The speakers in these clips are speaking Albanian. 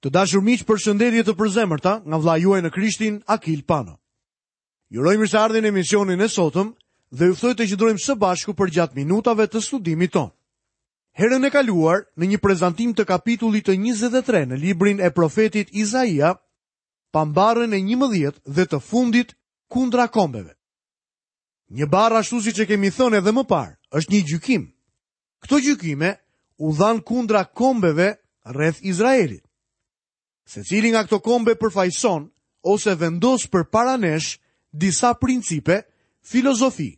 Të dashur miq, përshëndetje të përzemërta nga vëllai juaj në Krishtin, Akil Pano. Ju uroj mirëseardhjen në emisionin e sotëm dhe ju ftoj të qëndrojmë së bashku përgjatë minutave të studimit tonë. Herën e kaluar, në një prezantim të kapitullit të 23 në librin e profetit Izaia, pamë barrën e 11 dhe të fundit kundra kombeve. Një barrë ashtu siç e kemi thënë edhe më parë, është një gjykim. Këto gjykime u dhanë kundra kombeve rreth Izraelit. Secili nga këto kombe përfaqëson ose vendos përpara nesh disa principe, filozofi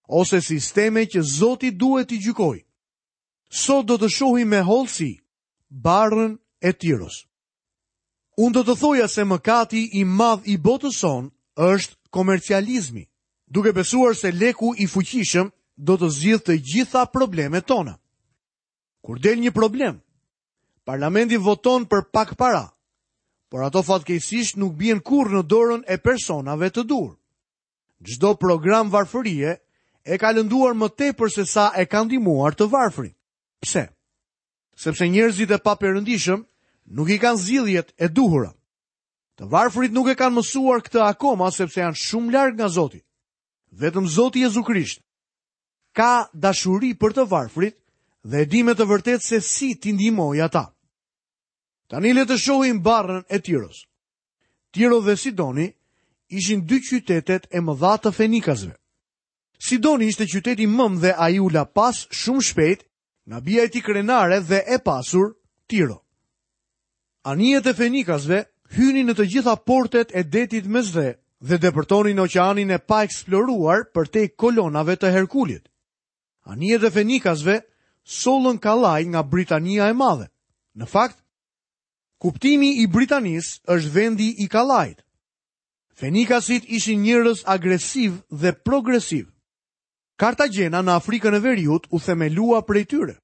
ose sisteme që Zoti duhet t'i gjykojë. Sot do të shohim me hollësi barrën e Tiros. Unë do të thoja se mëkati i madh i botës sonë është komercializmi, duke besuar se leku i fuqishëm do të zgjidhë të gjitha problemet tona. Kur del një problem, parlamenti voton për pak para, por ato fatkeqësisht nuk bien kurrë në dorën e personave të duhur. Çdo program varfërie e ka lënduar më tepër se sa e ka ndihmuar të varfrit. Pse? Sepse njerëzit e paperëndishëm nuk i kanë zgjidhjet e duhura. Të varfrit nuk e kanë mësuar këtë akoma sepse janë shumë larg nga Zoti. Vetëm Zoti Jezu Krisht ka dashuri për të varfrit dhe e di me të vërtetë se si t'i ndihmojë ata. Tani le të shohim barrën e Tiros. Tiro dhe Sidoni ishin dy qytetet e mëdha të Fenikasve. Sidoni ishte qyteti mëmë dhe ai u la pas shumë shpejt nga bija e tij krenare dhe e pasur, Tiro. Anijet e Fenikasve hynin në të gjitha portet e detit Mesdhe dhe depërtonin në oqeanin e paeksploruar përtej kolonave të Herkulit. Anijet e Fenikasve sollën kallaj nga Britania e Madhe. Në fakt, kuptimi i Britanisë është vendi i kallajit. Fenikasit ishin njerëz agresivë dhe progresivë. Kartagjena në Afrikën e Veriut u themelua prej tyre.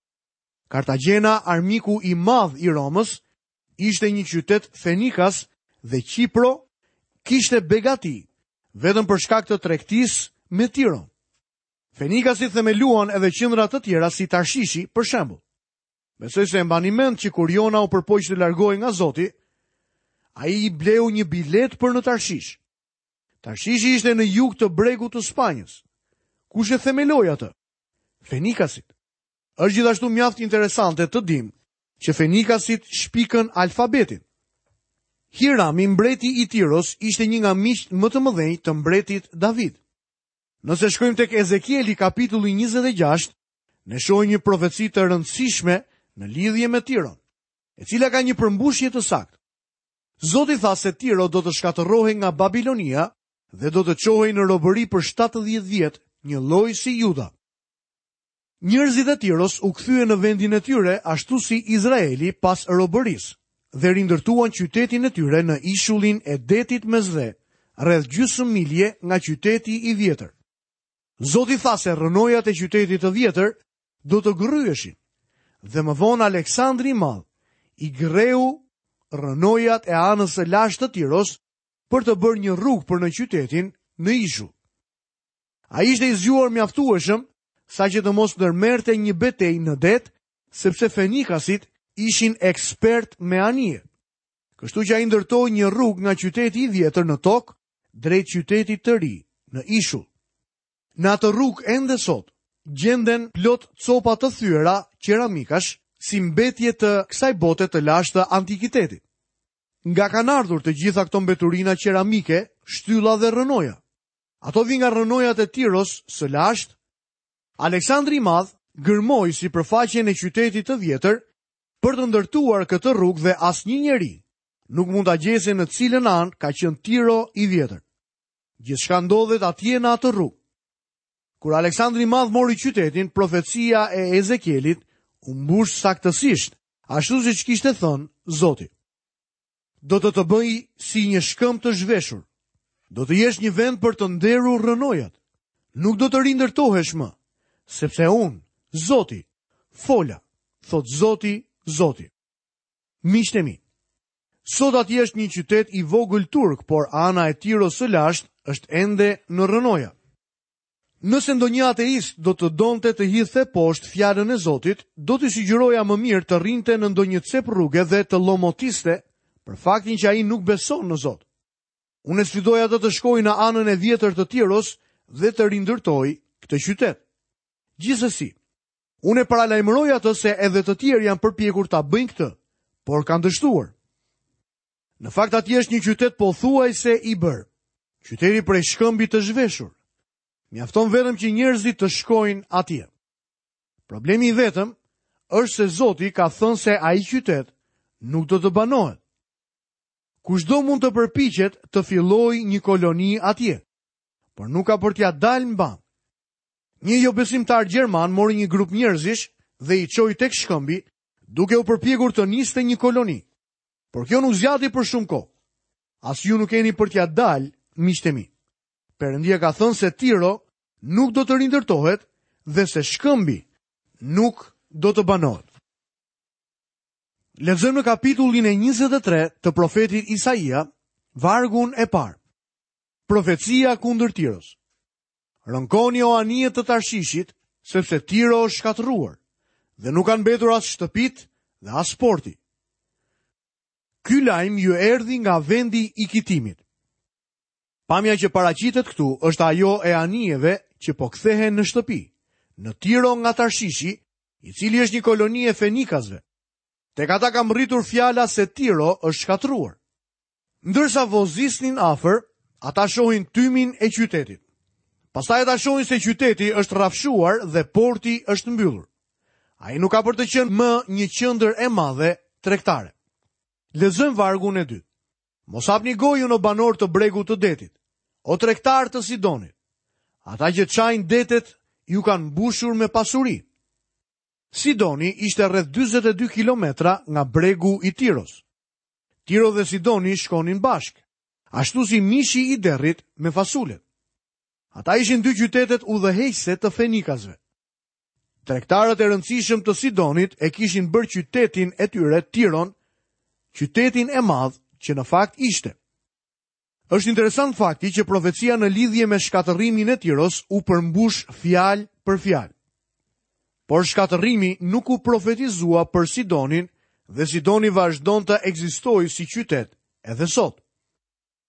Kartagjena, armiku i madh i Romës, ishte një qytet fenikas dhe Qipro kishte begati vetëm për shkak të tregtisë me Tiron. Fenikasit themeluan edhe qendra të tjera si Tarshishi, për shembull. Besoj se e mbani mend që kur Jona u përpoq të largohej nga Zoti, ai i bleu një biletë për në Tarshish. Tarshishi ishte në jug të bregut të Spanjës. Kush e themeloi atë? Fenikasit. Është gjithashtu mjaft interesante të dimë që Fenikasit shpikën alfabetin. Hirami, mbreti i Tiros, ishte një nga miqtë më të mëdhenj të mbretit David. Nëse shkojmë tek Ezekieli kapitulli 26, ne shohim një profeci të rëndësishme në lidhje me Tiron, e cila ka një përmbushje të saktë. Zoti tha se Tiro do të shkatërrohej nga Babilonia dhe do të çohej në robëri për 70 vjet, njëlloj si Juda. Njerëzit e Tiros u kthyen në vendin e tyre ashtu si Izraeli pas robërisë dhe rindërtuan qytetin e tyre në ishullin e detit Mesdhe, rreth gjysmë milje nga qyteti i vjetër. Zoti tha se rrënojat e qytetit të vjetër do të gërryheshin. Dhe më vonë Aleksandri i Madh i gërreu rrënojat e anës së lashtë të Tiros për të bërë një rrugë për në qytetin në ishull. Ai ishte i zgjuar mjaftueshëm saqë të mos ndërmerrte një betejë në det, sepse fenikasit ishin ekspertë me anije. Kështu që ai ndërtoi një rrugë nga qyteti i vjetër në tokë drejt qytetit të ri në ishull. Në atë rrugë ende sot gjenden plot copa të thyera qeramikash si mbetje të kësaj bote të lashtë të antikitetit. Nga kanë ardhur të gjitha këto mbeturina qeramike, shtylla dhe rrënoja? Ato vijnë nga rrënojat e Tiros së lashtë. Aleksandri i Madh gërmoi sipërfaqen e qytetit të vjetër për të ndërtuar këtë rrugë dhe asnjë njeri nuk mund ta gjejë se në cilën anë ka qenë Tiro i vjetër. Gjithçka ndodhet atje në atë rrugë. Kur Aleksandri i Madh mori qytetin, profecia e Ezekielit u mbush saktësisht, ashtu siç kishte thënë Zoti. Do të të bëj si një shkëmb të zhveshur. Do të jesh një vend për të nderur rrënojat. Nuk do të rindërtohesh më, sepse unë, Zoti, fola, thotë Zoti, Zoti. Miqtë e mi, Sot atje është një qytet i vogël turk, por ana e Tiros së lashtë është ende në rrënoja. Nëse ndonjë ateist do të donte të hidhte poshtë fjalën e Zotit, do t'i sugjeroja më mirë të rrinte në ndonjë cep rruge dhe të llomotiste. për faktin që ai nuk beson në Zot. Unë e sfidoj atë të shkojë në anën e vjetër të Tiros dhe të rindërtojë këtë qytet. Gjithsesi, unë e paralajmëroj atë se edhe të tjerë janë përpjekur ta bëjnë këtë, por kanë dështuar. Në fakt atje është një qytet pothuajse i bërë. Qyteti prej shkëmbi të zhveshur. Mjafton vetëm që njerëzit të shkojnë atje. Problemi i vetëm është se Zoti ka thënë se ai qytet nuk do të banohet. Kushdo mund të përpiqet të fillojë një koloni atje, por nuk ka për t'ia dalë mbanë. Një jobesimtar gjerman mori një grup njerëzish dhe i çoi tek shkëmbi, duke u përpjekur të niste një koloni. Por kjo nuk zgjati për shumë kohë. As ju nuk keni për t'ia dalë, miqtë e mi. Perëndia ka thënë se Tiro nuk do të rindërtohet dhe se shkëmbi nuk do të banohet. Lexojmë në kapitullin e 23 të profetit Isaia, vargun e parë. Profecia kundër Tiros. Rënkoni o anije të Tarshishit, sepse Tiro është shkatërruar dhe nuk kanë mbetur as shtëpitë dhe as porti. Ky lajm ju erdhi nga vendi i Kitimit. Pamja që paraqitet këtu është ajo e anijeve që po kthehen në shtëpi, në Tiro nga Tarshishi, i cili është një koloni e fenikasve. Tek ata ka mbërritur fjala se Tiro është shkatërruar. Ndërsa vozisnin afër, ata shohin tymin e qytetit. Pastaj ata shohin se qyteti është rrafshuar dhe porti është mbyllur. Ai nuk ka për të qenë më një qendër e madhe tregtare. Lexojmë vargun e dytë. Mos hapni gojën o banorë të bregut të detit, o tregtarë të Sidonit. Ata që çajnë detet ju kanë mbushur me pasuri. Sidoni ishte rreth 42 kilometra nga bregu i Tiros. Tiro dhe Sidoni shkonin bashkë, ashtu si mishi i derrit me fasulet. Ata ishin dy qytetet udhëheqëse të fenikasve. Tregtarët e rëndësishëm të Sidonit e kishin bërë qytetin e tyre Tiron, qytetin e madh që në fakt ishte. Është interesant fakti që profecia në lidhje me shkatërrimin e Tiros u përmbush fjalë për fjalë. Por shkatërrimi nuk u profetizua për Sidonin dhe Sidoni vazhdon të ekzistojë si qytet edhe sot.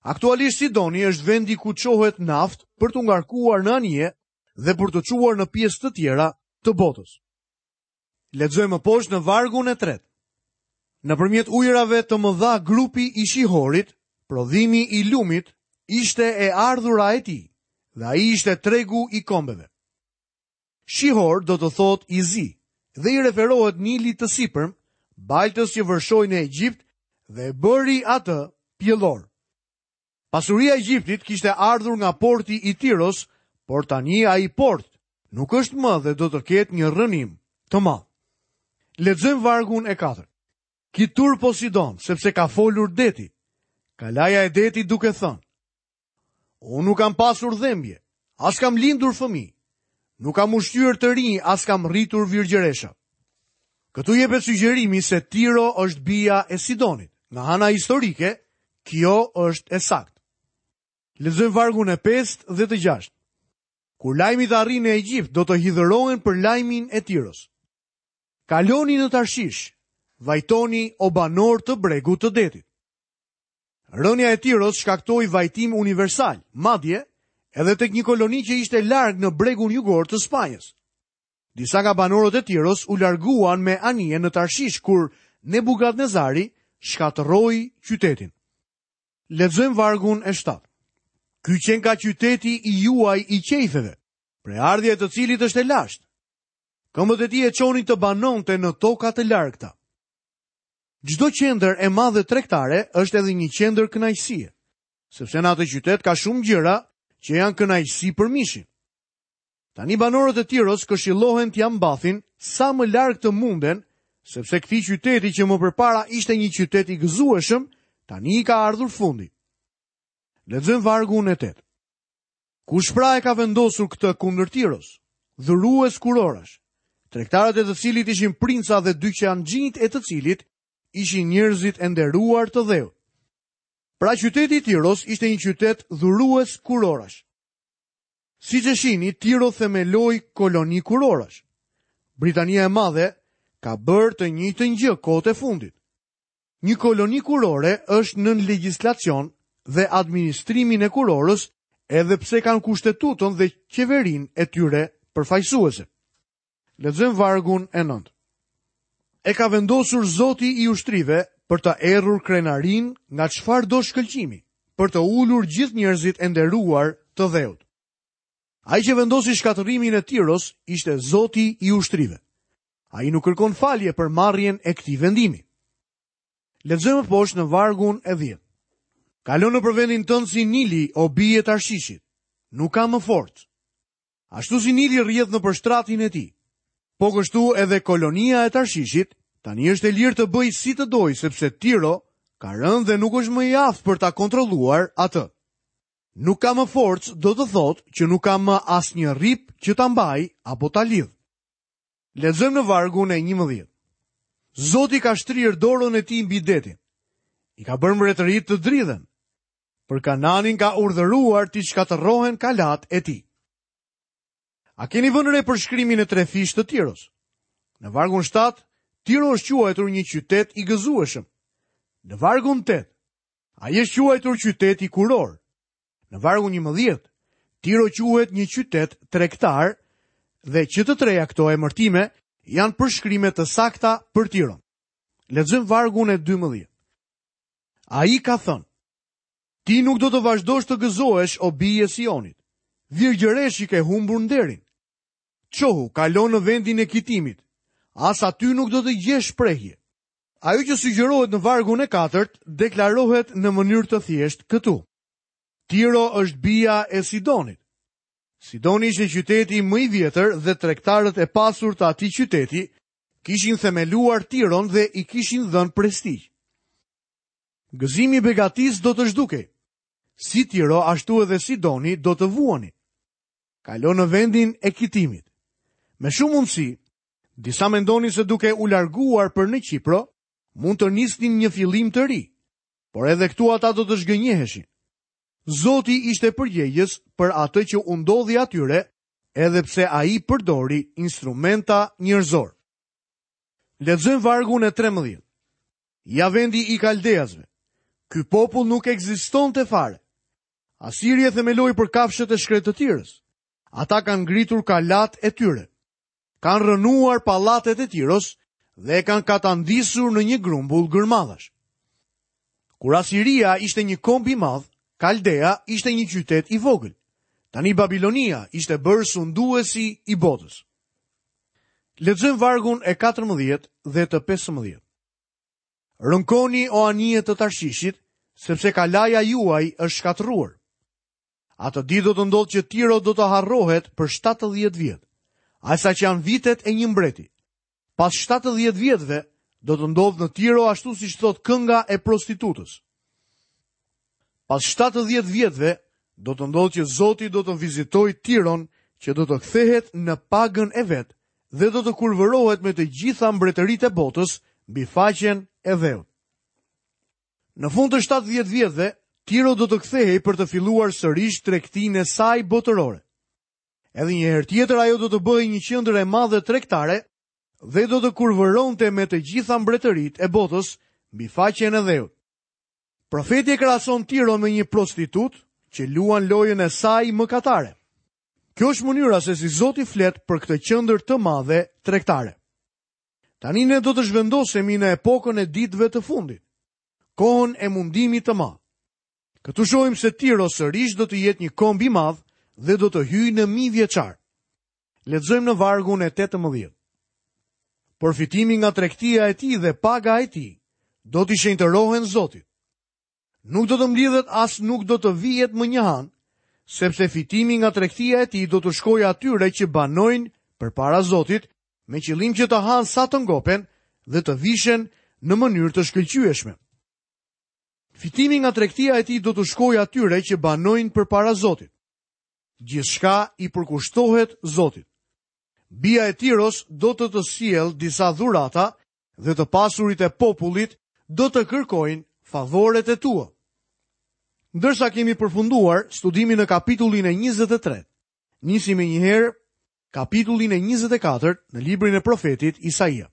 Aktualisht Sidoni është vendi ku çohet naftë për t'u ngarkuar në anije dhe për t'u çuar në pjesë të tjera të botës. Lexojmë më poshtë në vargun e tretë. Nëpërmjet ujërave të mëdha grupi i Shihorit, prodhimi i lumit, ishte e ardhura e tij, dhe ai ishte tregu i kombeve. Shihor do të thotë i zi dhe i referohet Nilit të sipërm, baltës që vërshoi në Egjipt dhe e bëri atë pjellor. Pasuria e Egjiptit kishte ardhur nga porti i Tiros, por tani ai port nuk është më dhe do të ketë një rrënim të madh. Lexojmë vargun e katërt. Ki turp o Sidon, sepse ka folur deti. Kalaja e detit duke thënë: Unë nuk kam pasur dhembje, as kam lindur fëmijë. Nuk kam ushqyer të rinj, as kam rritur virgjëresha. Këtu jepet sugjerimi se Tiro është bija e Sidonit. Nga ana historike, kjo është e saktë. Lexojmë vargun e 5 dhe të 6. Kur lajmi të arrijë në Egjipt, do të hidhërohen për lajmin e Tiros. Kaloni në Tarshish, vajtoni o banorë të bregut të detit. Rënia e Tiros shkaktoi vajtim universal, madje edhe tek një koloni që ishte larg në bregun jugor të Spanjës. Disa nga banorët e Tiros u larguan me anije në Tarshish kur Nebukadnezari shkatërroi qytetin. Lexojmë vargun e 7. Ky qenka qyteti i juaj i qejfeve, prejardhja e të cilit është e lashtë. Këmbët e tij e çonin të banonte në toka të largëta. Çdo qendër e madhe tregtare është edhe një qendër kënaqësie, sepse në atë qytet ka shumë gjëra që janë kënaqësi për mishin. Tani banorët e Tiros këshillohen t'ia mbathin sa më larg të munden, sepse këtij qyteti që më përpara ishte një qytet i gëzueshëm, tani i ka ardhur fundi. Lexojmë vargun e 8. Kush pra e ka vendosur këtë kundër Tiros? Dhurues kurorash, tregtarët e të cilit ishin princa dhe dyqanxhinjtë e të cilit ishin njerëzit e nderuar të dheut. Pra qyteti i Tiros ishte një qytet dhurues kurorash. Siç e shihni, Tiro themeloi koloni kurorash. Britania e Madhe ka bërë të njëjtën gjë kohët e fundit. Një koloni kurore është nën legjislacion dhe administrimin e kurorës edhe pse kanë kushtetutën dhe qeverinë e tyre përfaqësuese. Lexojmë vargun e 9. E ka vendosur Zoti i ushtrive për të errur krenarinë nga çfarëdo shkëlqimi, për të ulur gjithë njerëzit e nderuar të dheut. Ai që vendosi shkatërrimin e Tiros ishte Zoti i ushtrive. Ai nuk kërkon falje për marrjen e këtij vendimi. Lexojmë poshtë në vargun e 10. Kalo nëpër vendin tënd si Nili, o bijë e Tarshishit. Nuk ka më forcë. Ashtu si Nili rrjedh nëpër shtratin e tij. Po kështu edhe kolonia e Tarshishit tani është e lirë të bëjë si të dojë sepse Tiro ka rënë dhe nuk është më i aftë për ta kontrolluar atë. Nuk ka më forcë do të thotë që nuk ka më asnjë rrip që ta mbajë apo ta lidhë. Lexojmë në vargun e 11. Zoti ka shtrirë dorën e tij mbi detin. I ka bërë mbretëritë të dridhen. Për Kananin ka urdhëruar t'i shkatërrohen kalatë e tij. A keni vënë re përshkrimin e trefishtë të Tiros? Në vargun 7, Tiro është quajtur një qytet i gëzueshëm. Në vargun 8, ai është quajtur qyteti kurorë. Në vargun 11, Tiro quhet një qytet tregtar dhe që të treja këto emërtime janë përshkrime të sakta për Tiron. Lexojmë vargun e 12. Ai ka thënë, ti nuk do të vazhdosh të gëzohesh o bijë e Sionit. Virgjëreshë i ke humbur nderin. Çohu, kalo në vendin e Kitimit. As aty nuk do të gjesh prehje. Ajo që sugjerohet në vargun e katërt deklarohet në mënyrë të thjeshtë këtu. Tiro është bija e Sidonit. Sidoni ishte qyteti më i vjetër dhe tregtarët e pasur të atij qyteti kishin themeluar Tiron dhe i kishin dhënë prestigj. Gëzimi i begatisë do të zhdukej. Si Tiro, ashtu edhe Sidoni do të vuanin. Kalo në vendin e Kitimit. Me shumë mundësi, disa mendonin se duke u larguar për në Qipro, mund të nisnin një fillim të ri. Por edhe këtu ata do të zhgënjeheshin. Zoti ishte përgjegjës për atë që u ndodhi atyre, edhe pse ai përdori instrumenta njerëzorë. Lexojmë vargun e 13. Ja vendi i kaldeasve. Ky popull nuk ekzistonte fare. Asiri e themeloi për kafshët e shkretëtirës. Ata kanë ngritur kalatë e tyre. Kanë rrënuar pallatet e Tiros dhe e kanë katandisur në një grumbull gërmadhash. Kur Asiria ishte një komb i madh, Kaldea ishte një qytet i vogël. Tani Babilonia ishte bërë sunduesi i botës. Lexojmë vargun e 14 dhe të 15. Rënkoni o anije të Tarshishit, sepse kalaja juaj është shkatërruar. Atë ditë do të ndodhë që Tiro do të harrohet për 70 vjet, aq sa që janë vitet e një mbreti. Pas 70 vjetëve do të ndodhë në Tiro ashtu siç thotë kënga e prostitutës. Pas 70 vjetëve do të ndodhë që Zoti do të vizitojë Tiron që do të kthehet në pagën e vet dhe do të kurvërohet me të gjitha mbretëritë e botës mbi faqen e dheut. Në fund të 70 vjetëve, Tiro do të kthehej për të filluar sërish tregtinë e saj botërore. Edhe një herë tjetër ajo do të bëhej një qendër e madhe tregtare dhe do të kurvëronte me të gjitha mbretëritë e botës mbi faqen e dheut. Profeti e krahason Tiron me një prostitutë që luan lojën e saj mëkatare. Kjo është mënyra se si Zoti flet për këtë qendër të madhe tregtare. Tani ne do të zhvendosemi në epokën e ditëve të fundit, kohën e mundimit të madh. Këtu shohim se Tiro sërish do të jetë një komb i madh dhe do të hyjë në mijëvjeçar. Lexojmë në vargun e 18. Por fitimi nga tregtia e tij dhe paga e tij do t'i shenjtërohen Zotit. Nuk do të mblidhet as nuk do të vihet më një han, sepse fitimi nga tregtia e tij do t'u shkojë atyre që banojnë përpara Zotit me qëllim që të hanë sa të ngopen dhe të vishen në mënyrë të shkëlqyeshme. Fitimi nga tregtia e tij do t'u shkojë atyre që banojnë përpara Zotit. Gjithçka i përkushtohet Zotit. Bija e Tiros do të të sjellë disa dhurata dhe të pasurit e popullit do të kërkojnë favoret e tua. Ndërsa kemi përfunduar studimin në kapitullin e 23, nisim menjëherë kapitullin e 24 në librin e profetit Isaia.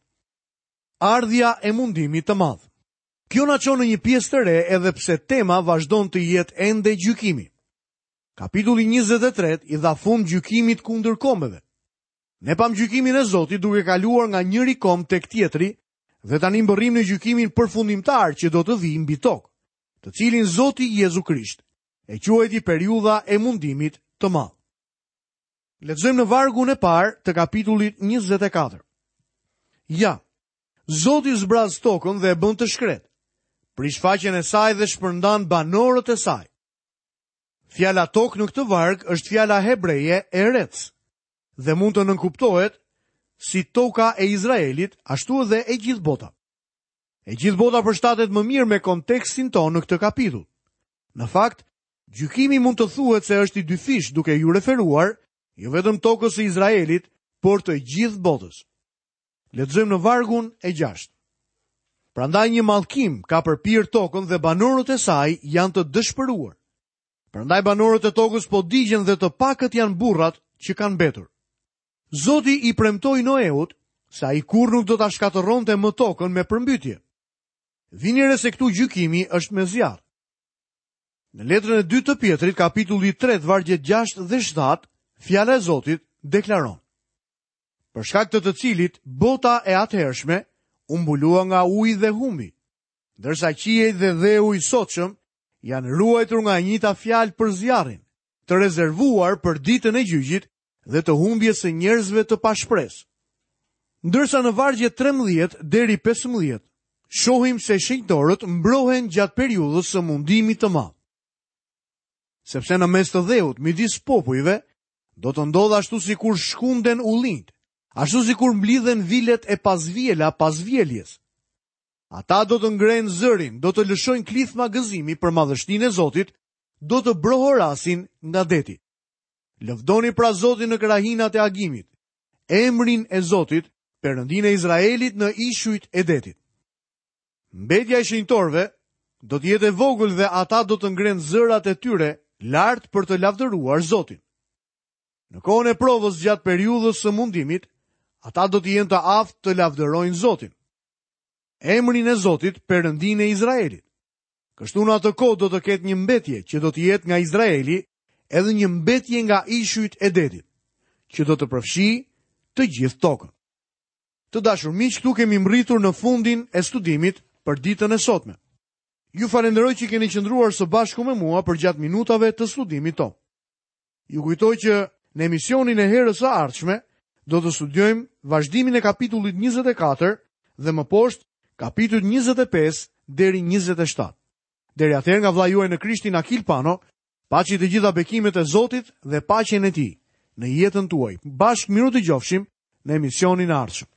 Ardhja e mundimit të madh. Kjo na çon në një pjesë të re edhe pse tema vazhdon të jetë ende gjykimi. Kapitulli 23 i dha fund gjykimit kundër kombeve. Ne pamë gjykimin e Zotit duke kaluar nga njëri komb tek tjetri dhe tani mbërrijmë në gjykimin përfundimtar që do të vijë mbi tokë, të cilin Zoti Jezu Krisht e quajti periudha e mundimit të madh. Lexojmë në vargun e parë të kapitullit 24. Ja, Zoti zbraz tokën dhe e bën të shkretë. Prish faqen e saj dhe shpërndan banorët e saj. Fjala tokë në këtë varg është fjala hebreje erec dhe mund të nënkuptohet si toka e Izraelit, ashtu edhe e gjithë bota. E gjithë bota përshtatet më mirë me kontekstin tonë në këtë kapitull. Në fakt, gjykimi mund të thuhet se është i dyfishtë duke iu referuar jo vetëm tokës së Izraelit, por të gjithë botës. Lexojmë në vargun e 6. Prandaj një mallkim ka përpirë tokën dhe banorët e saj janë të dëshpëruar. Prandaj banorët e tokës po digjen dhe të pakët janë burrat që kanë mbetur. Zoti i premtoi Noeut se ai kurrë nuk do ta shkatërronte më tokën me përmbytje. Vini re se këtu gjykimi është me zjarr. Në letrën e dytë të Pjetrit, kapitulli 3, vargjet 6 dhe 7, fjala e Zotit deklaron: Për shkak të të cilit bota e atëhershme u mbulua nga uji dhe humbi, ndërsa qiejt dhe dheu i sotshëm janë ruajtur nga e njëjta fjalë për zjarrin, të rezervuar për ditën e gjyqit dhe të humbjes së njerëzve të pashpresë. Ndërsa në vargjet 13 deri 15, shohim se shenjtorët mbrohen gjatë periudhës së mundimit të madh. Sepse në mes të dheut, midis popujve, do të ndodhë ashtu sikur shkunden ullinjtë, ashtu sikur mblidhen vilet e pavjela pas vjeljes. Ata do të ngrenë zërin, do të lëshojnë klithma gëzimi për madhështinë e Zotit, do të brohorasin nga deti. Lëvdoni pra Zotin në krahinat e agimit, emrin e Zotit, Perëndinë e Izraelit në ishujt e detit. Mbetja e shenjtorëve do të jetë e vogël dhe ata do të ngrenë zërat e tyre lart për të lavdëruar Zotin. Në kohën e provës gjatë periudhës së mundimit, ata do të jenë të aftë të lavdërojnë Zotin. Emrin e Zotit, Perëndinë e Izraelit. Kështu në atë kohë do të ketë një mbetje që do të jetë nga Izraeli edhe një mbetje nga ishujt e detit, që do të përfshijë të gjithë tokën. Të dashur miq, këtu kemi mbërritur në fundin e studimit për ditën e sotme. Ju falenderoj që keni qëndruar së bashku me mua përgjatë minutave të studimit tonë. Ju kujtoj që në emisionin e herës së ardhshme do të studiojmë vazhdimin e kapitullit 24 dhe më poshtë kapitujt 25 deri 27. Deri atëherë nga vëllai juaj në Krishtin Akil Pano, paçi të gjitha bekimet e Zotit dhe paqen e tij në jetën tuaj. Bashkë mirudëgjofshim në emisionin e ardhshëm.